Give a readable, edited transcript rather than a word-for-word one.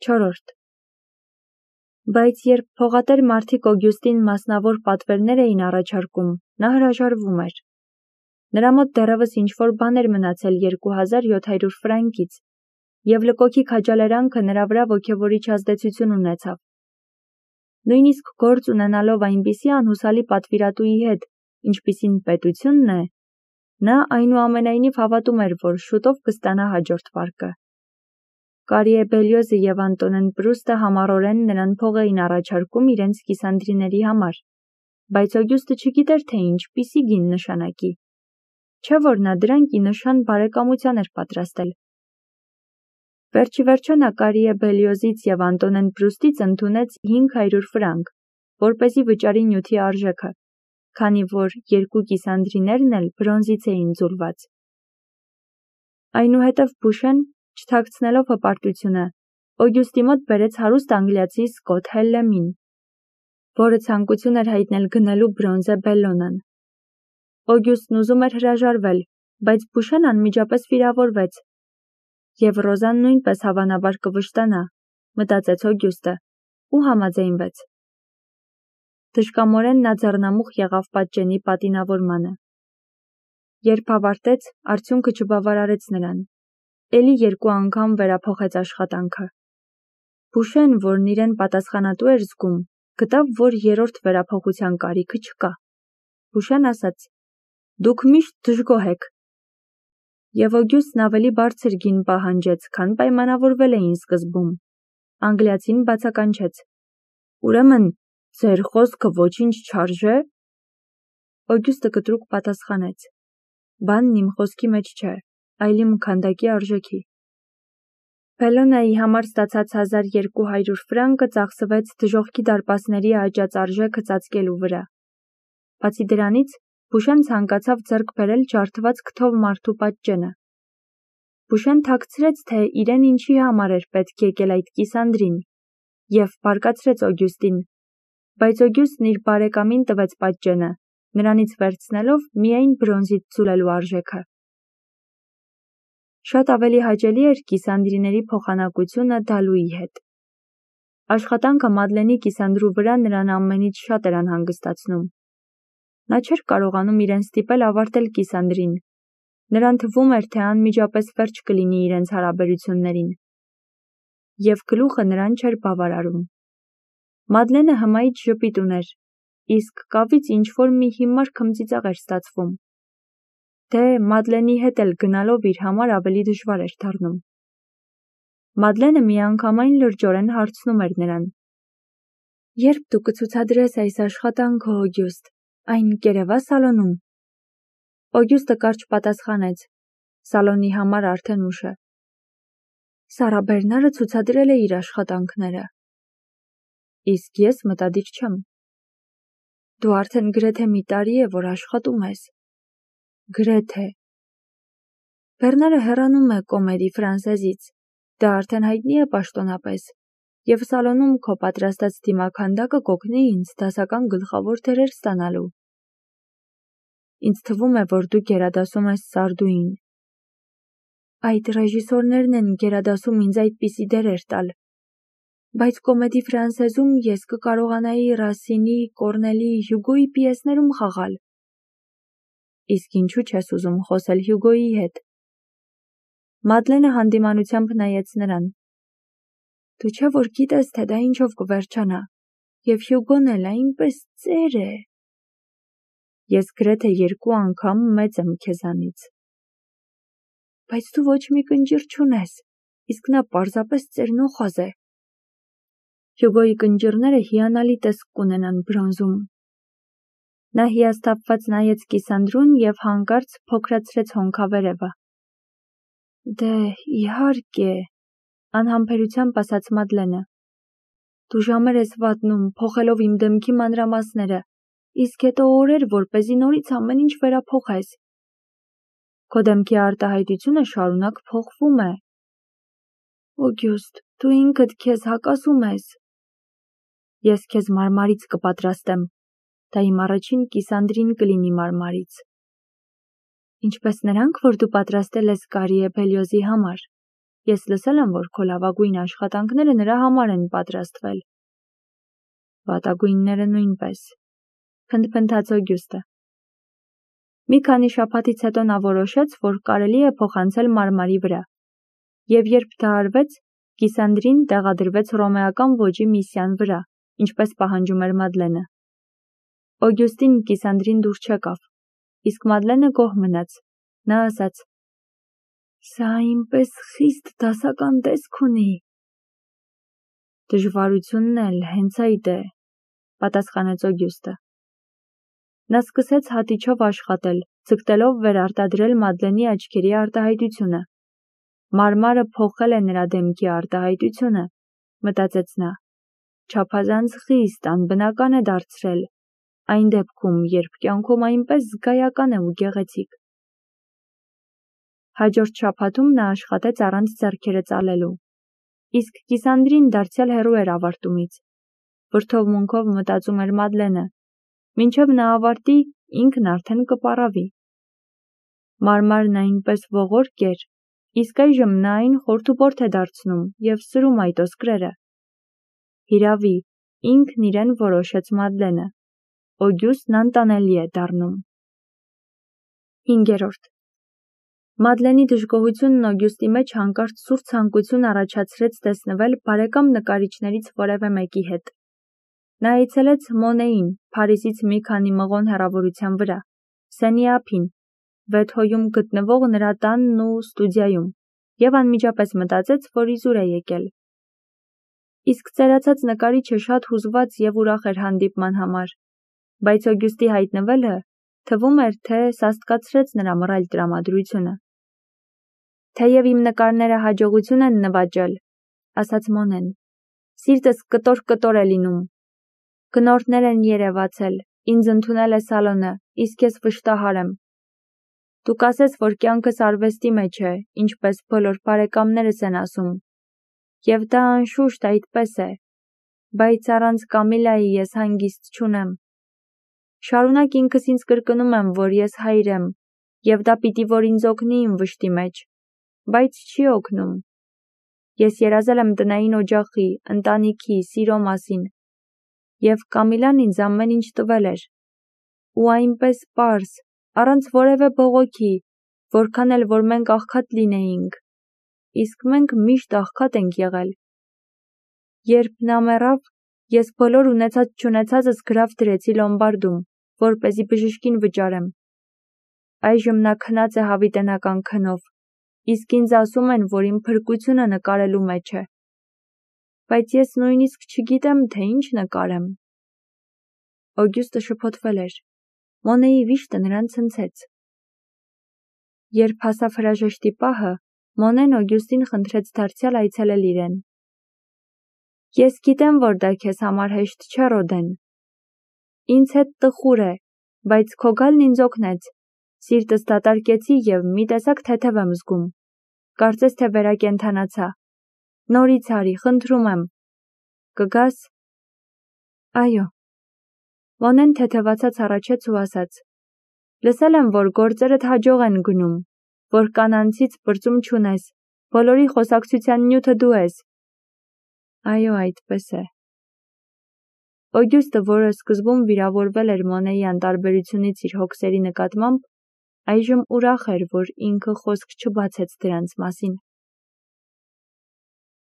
4. Բայց երբ փողատեր մարդիկ Օգյուստին մասնավոր պատվերներ էին առաջարկում, նա հրաժարվում էր։ Նրա մոտ դեռևս ինչ-որ բան էր մնացել 2700 ֆրանկից, և լկոքի քաջալերանքը նրա վրա ոգևորիչ ազդեցություն ունեցավ։ Նույնիսկ գործ ունենալով այնպիսի անհուսալի պատվիրատուի հետ, ինչպիսին պետությունն է, նա այնուամենայնիվ հավատում էր, որ շուտով կստանա հաջորդ վարկը։ Կարիե Բելիոզը և Անտոնեն Պրուստը համառորեն նրան փող էին առաջարկում իրենց կիսանդրիների համար, բայց Օգյուստը չգիտեր, թե ինչպիսի գին նշանակի, չէ՞ որ նա դրանք ի նշան բարեկամության էր պատրաստել։ Վերջիվերջո նա Կարիե Բելիոզից և Անտոնեն Պրուստից ընդունեց 500 ֆրանկ, որպեսզի վճարի նյութի արժեքը, քանի որ երկու կիսանդրիներն էլ բրոնզից էին ձուլված։ Այնուհետև Բուշեն, չթաքցնելով հպարտությունը, Օգյուստի մոտ բերեց հարուստ անգլիացի Սկոթ Հելլեմին, որը ցանկություն էր հայտնել գնելու բրոնզե Բելլոնան։ Օգյուստն ուզում էր հրաժարվել, բայց Բուշեն անմիջապես վիրավորվեց, և Ռոզան նույնպես հավանաբար կվշտանա, մտածեց Օգյուստը, ու համաձայնվեց։ Թշկամորեն նա ձեռնամուխ եղավ պատճենի պատինավորմանը։ Երբ ավարտեց, արդյունքը չբավարարեց նրան, էլի 2 անգամ վերափոխեց աշխատանքը։ Բուշեն, որն իրեն պատասխանատու էր զգում, գտավ, որ 3-րդ վերափոխության կարիքը չկա։ Բուշեն ասաց. «Դուք միշտ դժգոհ եք»։ Եվ Օգյուստն ավելի բարձր գին պահանջեց, քան պայմանավորվել էին սկզբում։ Անգլիացին բացականչեց. «Ուրեմն, ձեր խոսքը ոչինչ չարժե»։ Օգյուստը կտրուկ պատասխանեց. «Բանն իմ խոսքի մեջ չէ, այլ իմ քանդակի արժեքի»։ Բելլոնայի համար ստացած 1200 ֆրանկը ծախսվեց դժոխքի դարպասների աճած արժեքը ծածկելու վրա։ Բացի դրանից, Բուշեն ցանկացավ ձեռք բերել ջարդված քթով մարդու պատճենը։ Բուշեն թաքցրեց, թե իրեն ինչի համար էր պետք եկել այդ կիսանդրին, և բարկացրեց Օգյուստին, բայց Օգյուստն իր բարեկամին տվեց պատճենը, նրանից վերցնելով միայն բրոնզից ձուլելու արժեքը։ Շատ ավելի հաճելի էր կիսանդրիների փոխանակությունը դալուի հետ։ Աշխատանքը Մադլենի կիսանդրու վրա նրան ամենից շատ էր անհանգստացնում։ Նա չէր կարողանում իրեն ստիպել ավարտել կիսանդրին։ Նրան թվում էր, թե անմիջապես վերջ կլինի իրենց հարաբերություններին։ Եվ գլուխը նրան չէր բավարարում։ Մադլենը հմայիչ ժպիտ ուներ, իսկ կավից ինչ-որ մի հիմար քմծիծաղ էր ստացվում։ Դե, Մադլենի հետ էլ գնալով իր համար ավելի դժվար էր դառնում։ Մադլենը միանգամայն լրջորեն հարցնում էր նրան. «Երբ դու կցուցադրես այս աշխատանքը, Օգյուստ, այն կերևա սալոնում»։ Օգյուստը կարճ պատասխանեց. «Սալոնի համար արդեն ուշ է»։ Սարա Բերնարը ցուցադրել է իր աշխատանքները։ Իսկ ես մտադիր չեմ։ Դու արդեն գրեթե մի տարի է, որ աշխատում ես։ Գրեթե։ Բերնարը հեռանում է Կոմեդի Ֆրանսեզից, դա արդեն հայտնի է պաշտոնապես, և սալոնում քո պատրաստած դիմաքանդակը կօգնի ինձ դասական գլխավոր դերեր ստանալու։ Ինձ թվում է, որ դու գերադասում ես Սարդուին։ Այդ ռեժիսորներն են գերադասում ինձ այդպիսի դերեր տալ, բայց Կոմեդի Ֆրանսեզում ես կկարողանայի Ռասինի, Կորնելի, Հյուգոյի պիեսներում խաղալ։ Իսկ ինչու չես ուզում խոսել Հյուգոյի հետ։ Մադլենը հանդիմանությամբ նայեց նրան։ Դու չէ՞ որ գիտես, թե դա ինչով կվերջանա, և Հյուգոն էլ այնպես ծեր է։ Ես գրեթե 2 անգամ մեծ եմ քեզանից։ Բայց դու ոչ մի կնճիռ չունես, իսկ նա պարզապես ծերնոխոզ է։ Հյուգոյի կնճիռները հիանալի տեսք կունենան բրոնզում։ Նա հիասթափված նայեց կիսանդրուն և հանկարծ փոքրացրեց հոնքավերևը։ Դե, իհարկե, անհամբերությամբ ասաց Մադլենը։ Դու ժամեր ես վատնում, փոխելով իմ դեմքի մանրամասները, իսկ հետո օրեր, որպեսզի նորից ամեն ինչ վերափոխես։ Քո դեմքի արտահայտությունը շարունակ փոխվում է։ Օգյուստ, դու ինքդ քեզ հակասում ես։ Ես քեզ մարմարից կպատրաստեմ։ Դա իմ առաջին կիսանդրին կլինի մարմարից։ Ինչպես նրանք, որ դու պատրաստել ես Կարիե Բելիոզի համար։ Ես լսել եմ, որ քո լավագույն աշխատանքները նրա համար են պատրաստվել։ Վատագույնները նույնպես, փնթփնթաց Օգյուստը։ Մի քանի շաբաթից հետո նա որոշեց, որ կարելի է փոխանցել մարմարի վրա, և երբ դա արվեց, Կիսանդրին տեղադրվեց հռոմեական ոճի միսիան վրա, ինչպես պահանջում էր Մադլենը։ Օգյուստին Կիսանդրին դուր չեկավ, իսկ Մադլենը գոհ մնաց։ Նա ասաց. «Սա այնպես խիստ դասական տեսք ունի»։ Դժվարությունն էլ հենց այդ է, պատասխանեց Օգյուստը։ Նա սկսեց հատիչով աշխատել, ձգտելով վերարտադրել Մադլենի աչքերի արտահայտությունը։ Մարմարը փոխել է նրա դեմքի արտահայտությունը, մտածեց նա, չափազանց խիստ անբնական է դարձրել, այն դեպքում, երբ կյանքում այնպես զգայական է ու գեղեցիկ։ Հաջորդ շաբաթում նա աշխատեց առանց ձեռքերը ծալելու, իսկ Կիսանդրին դարձյալ հեռու էր ավարտումից։ Վրդովմունքով մտածում էր Մադլենը, մինչև նա ավարտի, ինքն արդեն կպառավի։ Մարմարն այնպես ողորկ էր, իսկ այժմ նա այն խորթուբորթ է դարձնում և սրում այդ ոսկրերը։ Հիրավի, ինքն իրեն որոշեց Մադլենը։ Օգյուստն անտանելի է դառնում։ 5. Մադլենի դժգոհությունն Օգյուստի մեջ հանկարծ սուր ցանկություն առաջացրեց տեսնվել բարեկամ նկարիչներից որևէ մեկի հետ։ Նա այցելեց Մոնեին, Փարիզից մի քանի մղոն հեռավորության վրա, Սենի ափին, Վեթհոյում գտնվող նրա տանն ու ստուդիայում, և անմիջապես մտածեց, որ իզուր է եկել։ Իսկ ծերացած նկարիչը շատ հուզված և ուրախ էր հանդիպման համար, բայց Օգյուստի հայտնվելը թվում էր, թե սաստկացրեց նրա մռայլ տրամադրությունը։ «Թեև իմ նկարները հաջողություն են նվաճել», ասաց Մոնեն, «սիրտս կտոր-կտոր է լինում։ Գնորդներ են երևացել, ինձ ընդունել է սալոնը, իսկ ես վշտահար եմ։ Դու կասես, որ կյանքս արվեստի մեջ է, ինչպես բոլոր բարեկամներս են ասում, և դա անշուշտ այդպես է, բայց առանց Կամիլայի ես հանգիստ չունեմ։ Շարունակ ինքս ինձ կրկնում եմ, որ ես հայր եմ, և դա պիտի որ ինձ օգնի իմ վշտի մեջ, բայց չի օգնում։ Ես երազել եմ տնային օջախի, ընտանիքի, սիրո մասին, և Կամիլան ինձ ամեն ինչ տվել էր։ Ու այնպես պարզ, առանց որևէ բողոքի, որքան էլ որ մենք աղքատ լինեինք, իսկ մենք միշտ աղքատ ենք եղել։ Երբ նա մեռավ, ես բոլոր ունեցած-չունեցածս գրավ դրեցի լոմբարդում, որպեսզի բժշկին վճարեմ։ Այժմ նա քնած է հավիտենական քնով, իսկ ինձ ասում են, որ իմ փրկությունը նկարելու մեջ է։ Բայց ես նույնիսկ չգիտեմ, թե ինչ նկարեմ։ Օգյուստը շփոթվել էր։ Մոնեի վիշտը նրան ցնցեց։ Երբ հասավ հրաժեշտի պահը, Մոնեն Օգյուստին խնդրեց դարձյալ այցելել իրեն։ Ես գիտեմ, որ դա քեզ համար հեշտ չէ, Ռոդեն։ Ինձ հետ տխուր է, բայց քո գալն ինձ օգնեց։ Սիրտս դատարկեցի և մի տեսակ թեթև եմ զգում։ Կարծես թե վերակենդանացա։ Նորից արի, խնդրում եմ։ Կգաս։ Այո։ Մոնեն թեթևացած առաջեց ու ասաց. Լսել եմ, որ գործերդ հաջող են գնում, որ կանանցից բրծում չունես, բոլորի խոսակցության նյութը դու ես։ Այո, այդպես է։ Օգյուստը, որը սկզբում վիրավորվել էր Մոնեի անտարբերությունից իր հոգսերի նկատմամբ, այժմ ուրախ էր, որ ինքը խոսք չբացեց դրանց մասին։